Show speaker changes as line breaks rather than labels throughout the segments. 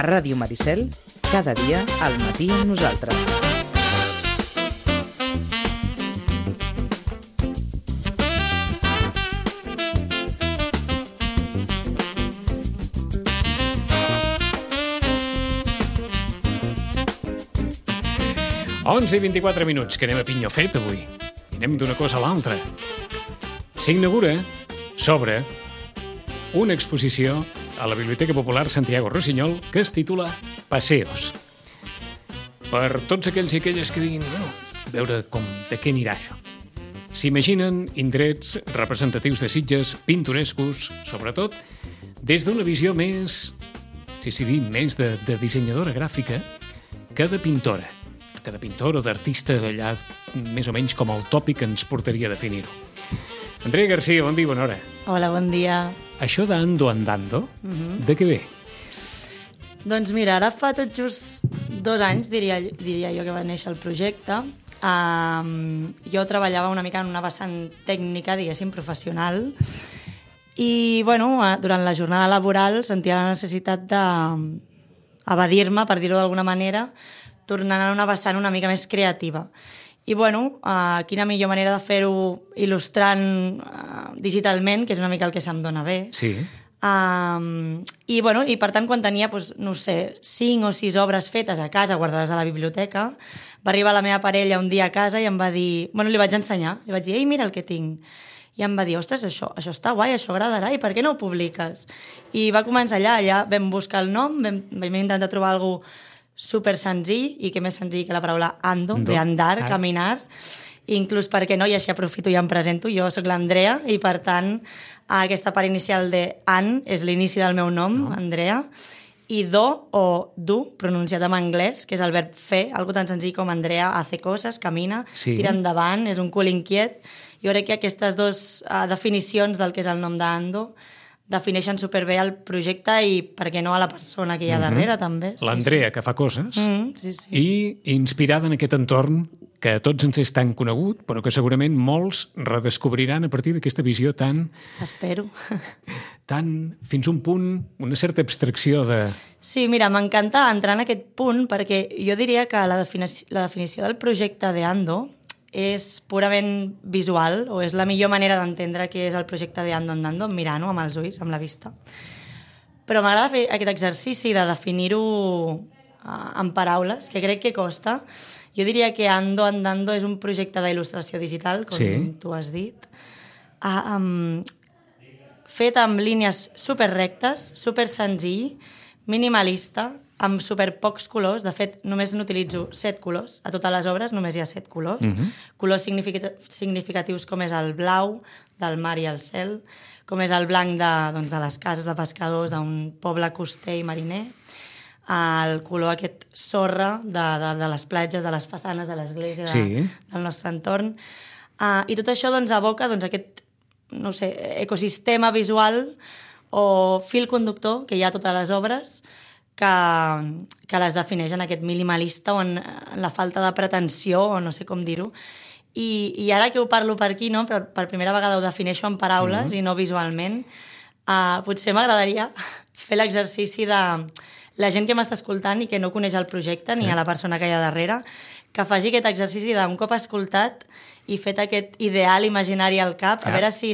A Ràdio Maricel, cada dia al matí amb nosaltres.
Onze i 24 minuts, que anem a pinyó fet avui. I anem d'una cosa a l'altra. S'inaugura, s'obre, una exposició a la Biblioteca Popular Santiago Rossinyol que es titula Paseos. Per tots aquells i aquelles que diguin, veure de què anirà això. S'imaginen indrets representatius de Sitges, pintorescos, sobretot, des d'una visió més, més de dissenyadora gràfica que de pintora. Que de pintor o d'artista d'allà, més o menys com el tòpic que ens portaria a definir-ho. Andrea García, bon dia, bona hora.
Hola, bon dia.
Això d'Ando Andando, de què ve?
Doncs mira, ara fa tot just 2 anys, diria jo, que va néixer el projecte. Jo treballava una mica en una vessant tècnica, diguéssim, professional, i durant la jornada laboral sentia la necessitat d'evadir-me, per dir-ho d'alguna manera, tornant a una vessant una mica més creativa. I quina millor manera de fer-ho il·lustrant digitalment, que és una mica el que se'm dona bé.
Sí.
I per tant, quan tenia, 5 o 6 obres fetes a casa, guardades a la biblioteca, va arribar la meva parella un dia a casa i em va dir... li vaig ensenyar, li vaig dir, ei, mira el que tinc. I em va dir, ostres, això està guai, això agradarà, i per què no ho publiques? I va començar allà vam buscar el nom, vam intentar trobar alguna cosa super senzill, i què més senzill que la paraula ando, de andar, caminar, inclús perquè no, i així aprofito i em presento, jo sóc l'Andrea, i per tant aquesta part inicial de an és l'inici del meu nom, Andrea, i do o du, pronunciat en anglès, que és el verb fer, algo tan senzill com Andrea hace coses, camina, tira endavant, és un cul inquiet. Jo crec que aquestes 2 definicions del que és el nom d'Ando defineixen superbé el projecte i, per què no, a la persona que hi ha darrere, també.
L'Andrea, que fa coses, i inspirada en aquest entorn que a tots ens és tan conegut, però que segurament molts redescobriran a partir d'aquesta visió tan...
Espero.
Tan, fins a un punt, una certa abstracció de...
Sí, mira, m'encanta entrar en aquest punt perquè jo diria que la definició del projecte d'Ando és purament visual, o és la millor manera d'entendre què és el projecte d'Ando Andando, mirant-ho amb els ulls, amb la vista. Però m'agrada fer aquest exercici de definir-ho en paraules, que crec que costa. Jo diria que Ando Andando és un projecte d'il·lustració digital, com tu has dit, fet amb línies superrectes, super senzill, minimalista, amb super pocs colors. De fet, només n'utilitzo 7 colors. A totes les obres només hi ha 7 colors. Colors significatius com és el blau del mar i el cel, com és el blanc de les cases de pescadors d'un poble coster i mariner, el color aquest sorra de les platges, de les façanes de l'església, del nostre entorn. I tot això evoca aquest ecosistema visual o fil conductor que hi ha a totes les obres, que les defineix en aquest minimalista o en la falta de pretensió, o no sé com dir-ho. I ara que ho parlo per aquí, no? Per primera vegada ho defineixo en paraules i no visualment, potser m'agradaria fer l'exercici de la gent que m'està escoltant i que no coneix el projecte ni a la persona que hi ha darrere, que faci aquest exercici d'un cop escoltat i fet aquest ideal imaginari al cap, a veure si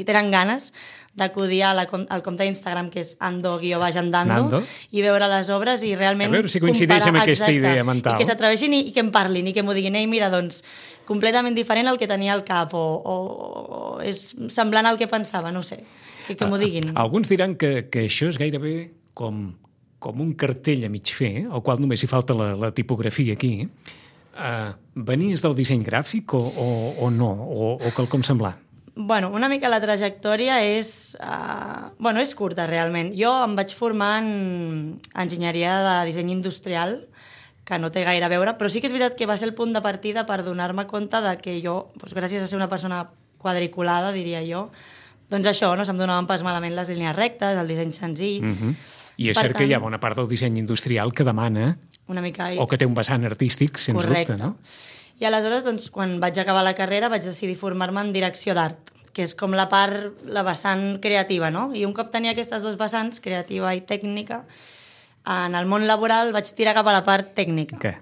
tenen ganes d'acudir al compte d'Instagram, que és ando_andando, i veure les obres i realment
a veure si coincideix amb aquesta idea mental.
I que s'atreveixin i que em parlin i que m'ho diguin, mira, doncs, completament diferent al que tenia al cap, o és semblant al que pensava, no sé, que m'ho diguin.
Alguns diran que això és gairebé com un cartell a mig fer, al qual només hi falta la tipografia aquí. Venies del disseny gràfic o no? O quelcom semblant?
Una mica la trajectòria és curta, realment. Jo em vaig formar en enginyeria de disseny industrial, que no té gaire a veure, però sí que és veritat que va ser el punt de partida per donar-me compte de que jo, gràcies a ser una persona quadriculada, diria jo, doncs això, no se'm donaven pas malament les línies rectes, el disseny senzill.
I és cert que hi ha bona part del disseny industrial que demana
una mica...
o que té un vessant artístic, sens dubte, no?
I aleshores, doncs, quan vaig acabar la carrera, vaig decidir formar-me en direcció d'art, que és com la vessant creativa, no? I un cop tenia aquestes 2 vessants, creativa i tècnica, En el món laboral vaig tirar cap a la part tècnica.
Què?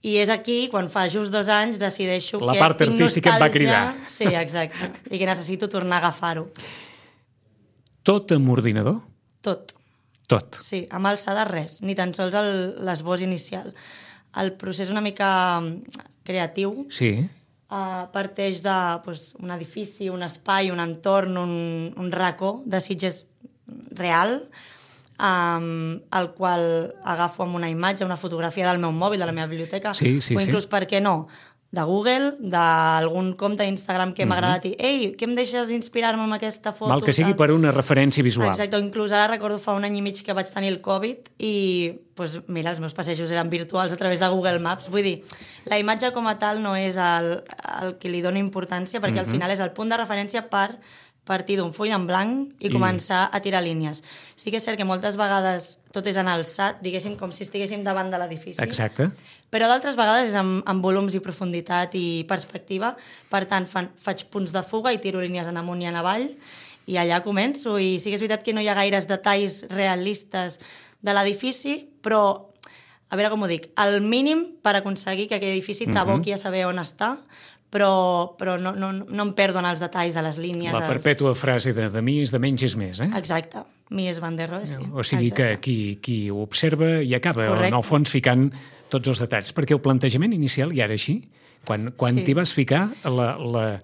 I és aquí, quan fa just 2 anys, decideixo
La
que
part
tinc
artística et va
nostàlgia.
cridar.
Sí, exacte. I que necessito tornar a agafar-ho.
Tot amb ordinador?
Tot.
Tot.
Sí, amb alçada res, ni tan sols l'esbós inicial. El procés una mica creatiu
Sí.
parteix de un edifici, un espai, un entorn, un racó de Sitges real, el qual agafo amb una imatge, una fotografia del meu mòbil, de la meva biblioteca,
Sí,
o inclús, per què no, de Google, d'algun compte d'Instagram que m'ha agradat i ei, què em deixes inspirar-me amb aquesta foto?
Mal que sigui per una referència visual.
Exacte, o inclús ara recordo fa un any i mig que vaig tenir el Covid i, mira, els meus passejos eren virtuals a través de Google Maps. Vull dir, la imatge com a tal no és el que li dono importància perquè al final és el punt de referència per partir d'un full en blanc i començar a tirar línies. Sí que és cert que moltes vegades tot és en alçat, diguéssim, com si estiguéssim davant de l'edifici.
Exacte.
Però d'altres vegades és amb volums i profunditat i perspectiva. Per tant, faig punts de fuga i tiro línies en amunt i en avall i allà començo. I sí que és veritat que no hi ha gaires detalls realistes de l'edifici, però, a veure com ho dic, el mínim per aconseguir que aquell edifici t'aboqui a saber on està, però no em perdo en els detalls de les línies.
La perpètua frase de mi és de menys és més, eh?
Exacte. Mi és Van der Rohe, sí.
O sigui que qui ho observa i acaba,
correcte,
en el fons, ficant tots els detalls. Perquè el plantejament inicial ja era així. Quan t'hi vas ficar, la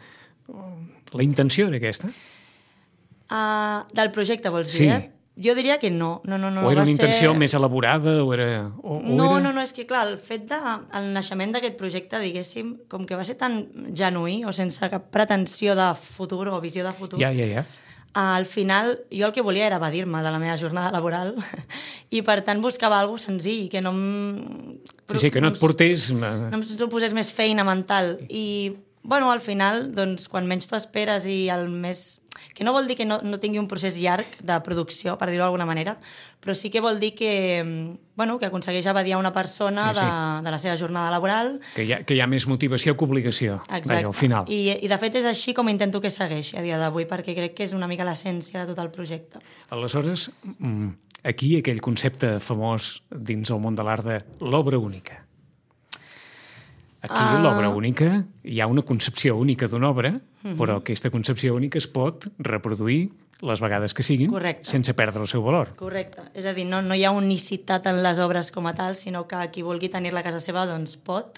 intenció era aquesta?
Del projecte, vols
Sí.
dir, eh? Jo diria que no.
O era una intenció més elaborada?
No, és que clar, el fet el naixement d'aquest projecte, diguéssim, com que va ser tan genuí o sense cap pretensió de futur o visió de futur,
Ja.
al final jo el que volia era evadir-me de la meva jornada laboral i per tant buscava alguna cosa senzill, que no em...
Sí, que no et portés...
No em suposés més feina mental. I, bueno, al final, doncs, quan menys t'ho esperes i el més... Que no vol dir que no tingui un procés llarg de producció, per dir-ho d'alguna manera, però sí que vol dir que, bueno, que aconsegueix evadir a una persona de la seva jornada laboral.
Que hi ha més motivació que obligació.
Exacte.
Vaja, al final.
I de fet és així com intento que segueixi a dia d'avui, perquè crec que és una mica l'essència de tot el projecte.
Aleshores, aquí aquell concepte famós dins el món de l'art de l'obra única. Aquí l'obra única, hi ha una concepció única d'una obra, però aquesta concepció única es pot reproduir les vegades que siguin, sense perdre el seu valor.
Correcte. És a dir, no hi ha unicitat en les obres com a tal, sinó que qui vulgui tenir-la a casa seva, doncs pot.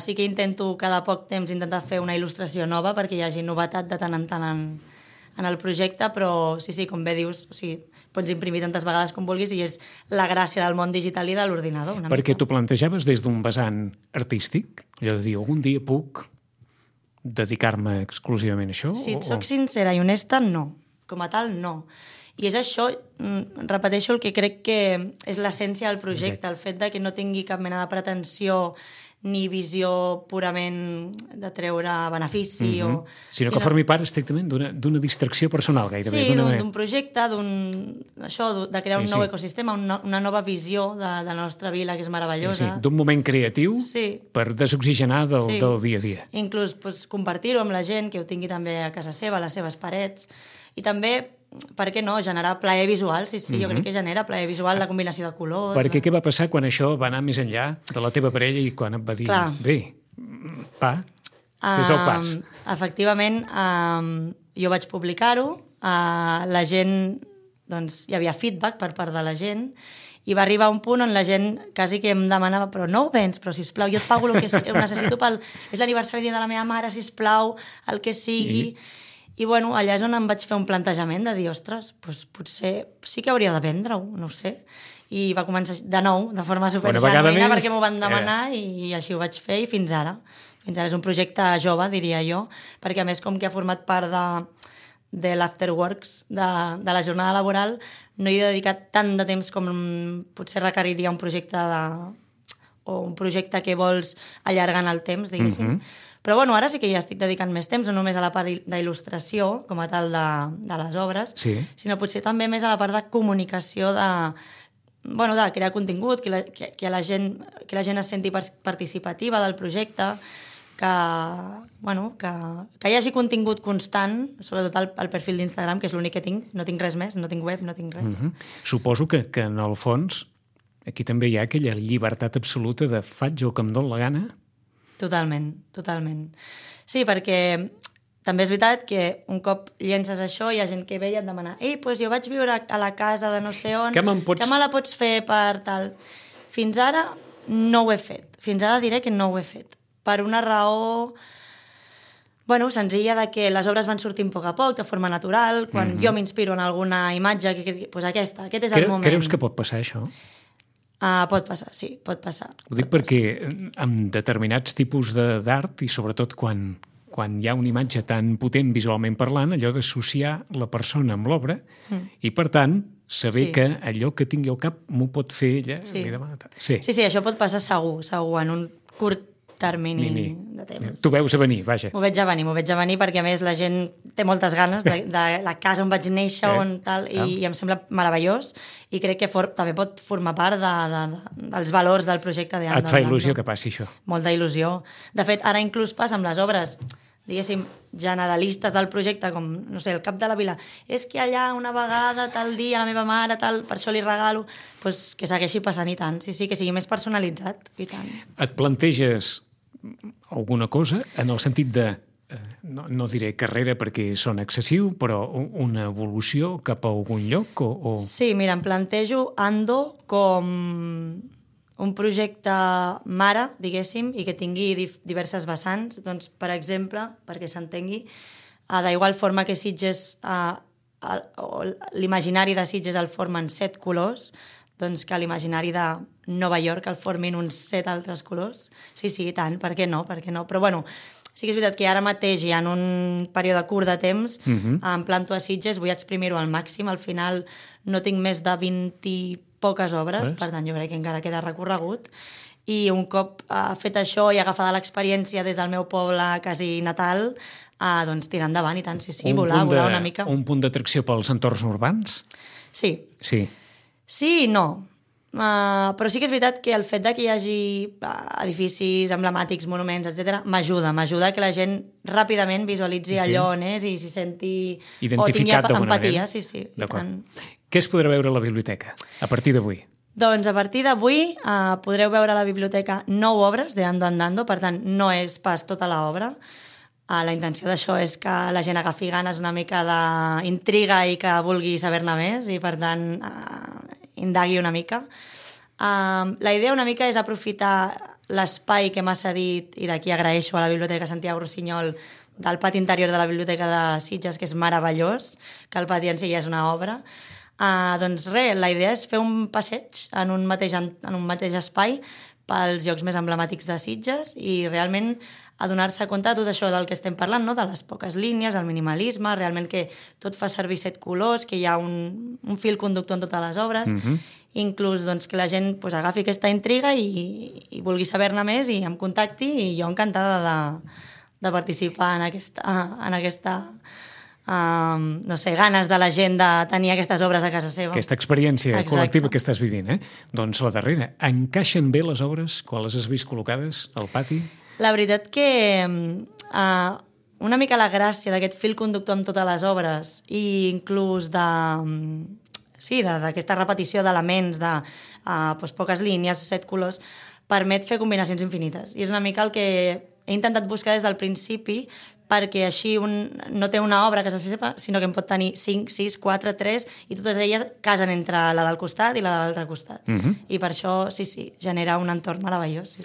Sí que intento cada poc temps intentar fer una il·lustració nova perquè hi hagi novetat de tant en tant en el projecte, però sí, com bé dius, o sigui, pots imprimir tantes vegades com vulguis i és la gràcia del món digital i de l'ordinador.
Perquè t'ho plantejaves des d'un vessant artístic? Allò de dir, algun dia puc dedicar-me exclusivament a això?
Si et soc sincera i honesta, no. Com a tal, no. I és això, repeteixo el que crec que és l'essència del projecte, el fet de que no tingui cap mena de pretensió ni visió purament de treure benefici.
Sinó que formi part estrictament d'una distracció personal, gairebé.
Sí, d'un projecte, de crear un nou ecosistema, una nova visió de la nostra vila, que és meravellosa.
D'un moment creatiu per desoxigenar del dia a dia.
Inclús compartir-ho amb la gent, que ho tingui també a casa seva, a les seves parets. I també, per què no, generar plaer visual, sí, jo crec que genera plaer visual, la combinació de colors.
Perquè què va passar quan això va anar més enllà de la teva parella i quan et va dir, bé, fes el pas?
Efectivament, jo vaig publicar-ho, la gent, doncs, hi havia feedback per part de la gent, i va arribar un punt on la gent quasi que em demanava, però no ho vens, però sisplau, jo et pago el que ho necessito és l'aniversari de la meva mare, sisplau, el que sigui. I bueno, allà és on em vaig fer un plantejament de dir, ostres, doncs potser sí que hauria de vendre-ho, no ho sé. I va començar de nou, de forma supergenuïna, perquè m'ho van demanar i així ho vaig fer i fins ara. Fins ara és un projecte jove, diria jo, perquè a més com que ha format part de l'afterworks de la jornada laboral, no hi he dedicat tant de temps com potser requeriria un projecte o un projecte que vols allargar en el temps, diguéssim. Però bueno, ara sí que ja estic dedicant més temps, no només a la part d'il·lustració, com a tal de les obres, sinó potser també més a la part de comunicació, de crear contingut, que la gent es senti participativa del projecte, que hi hagi contingut constant, sobretot al perfil d'Instagram, que és l'únic que tinc, no tinc res més, no tinc web, no tinc res.
Suposo que en el fons aquí també hi ha aquella llibertat absoluta de faig el que em dóna la gana.
Totalment, totalment. Sí, perquè també és veritat que un cop llences això hi ha gent que ve i et demana doncs jo vaig viure a la casa de no sé on,
que me
la pots fer per tal... Fins ara no ho he fet. Fins ara diré que no ho he fet. Per una raó senzilla de que les obres van sortint a poc a poc, de forma natural, quan jo m'inspiro en alguna imatge, doncs aquest és el moment.
Creus que pot passar això?
Pot passar, sí, pot passar.
Ho dic perquè amb determinats tipus d'art, i sobretot quan hi ha una imatge tan potent visualment parlant, allò d'associar la persona amb l'obra i, per tant, saber que allò que tingui al cap m'ho pot fer ella.
Sí, això pot passar segur, en un curt termini de temps.
Tu veus a venir, vaja.
M'ho veig a venir perquè, a més, la gent té moltes ganes de la casa on vaig néixer i em sembla meravellós i crec que també pot formar part dels valors del projecte d'Ando.
Et fa il·lusió que passi això?
Molta il·lusió. De fet, ara inclús passa amb les obres diguéssim, generalistes del projecte, com, no sé, el cap de la vila, és que allà una vegada, tal dia, la meva mare, tal, per això li regalo, doncs que segueixi passant i tant, sí, que sigui més personalitzat, i tant.
Et planteges alguna cosa en el sentit de, no diré carrera perquè sona excessiu, però una evolució cap a algun lloc?
Sí, mira, em plantejo Ando com un projecte mare, diguéssim, i que tingui diverses vessants. Doncs, per exemple, perquè s'entengui, d'igual forma que Sitges, l'imaginari de Sitges el formen 7 colors, doncs que l'imaginari de Nova York el formin uns 7 altres colors. Sí, i tant, per què no? Però, sí que és veritat que ara mateix i en un període curt de temps em planto a Sitges, vull exprimir-ho al màxim, al final no tinc més de 20 poques obres, per tant jo crec que encara queda recorregut, i un cop fet això i agafada l'experiència des del meu poble quasi natal, doncs tirar endavant i tant, volar una mica.
Un punt d'atracció pels entorns urbans?
Sí. Sí i no. Però sí que és veritat que el fet de que hi hagi edificis emblemàtics, monuments, etc., m'ajuda que la gent ràpidament visualitzi allò on és i s'hi senti...
Identificat d'alguna manera.
Sí, i tant.
Què es podrà veure a la biblioteca a partir d'avui?
Doncs a partir d'avui podreu veure a la biblioteca 9 obres de Ando Andando, per tant no és pas tota l'obra. La intenció d'això és que la gent agafi ganes una mica d'intriga i que vulgui saber-ne més i per tant indagui una mica. La idea una mica és aprofitar l'espai que m'ha cedit i d'aquí agraeixo a la Biblioteca Santiago Rossinyol del pati interior de la Biblioteca de Sitges, que és meravellós, que el pati en si ja és una obra. Doncs res, la idea és fer un passeig en un mateix espai pels llocs més emblemàtics de Sitges i realment adonar-se compte de tot això del que estem parlant, no? De les poques línies, el minimalisme, realment que tot fa servir 7 colors, que hi ha un fil conductor en totes les obres, inclús doncs, que la gent agafi aquesta intriga i vulgui saber-ne més i em contacti i jo encantada de participar en aquesta no sé, ganes de la gent de tenir aquestes obres a casa seva.
Aquesta experiència col·lectiva que estàs vivint, Doncs la darrera. Encaixen bé les obres quan les has vist col·locades al pati?
La veritat que una mica la gràcia d'aquest fil conductor amb totes les obres i inclús d'aquesta repetició d'elements de poques línies, 7 colors, permet fer combinacions infinites. I és una mica el que he intentat buscar des del principi perquè així no té una obra que se sepa, sinó que en pot tenir 5, 6, 4, 3 i totes elles casen entre la del costat i la de l'altre costat. I per això, genera un entorn meravellós,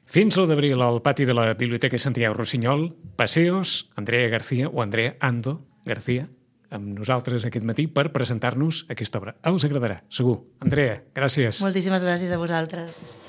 Fins l'1 d'abril al pati de la Biblioteca Santiago Rossinyol, Paseos, Andrea García o Andrea Ando García, amb nosaltres aquest matí per presentar-nos aquesta obra. Us agradarà, segur. Andrea, gràcies.
Moltíssimes gràcies a vosaltres.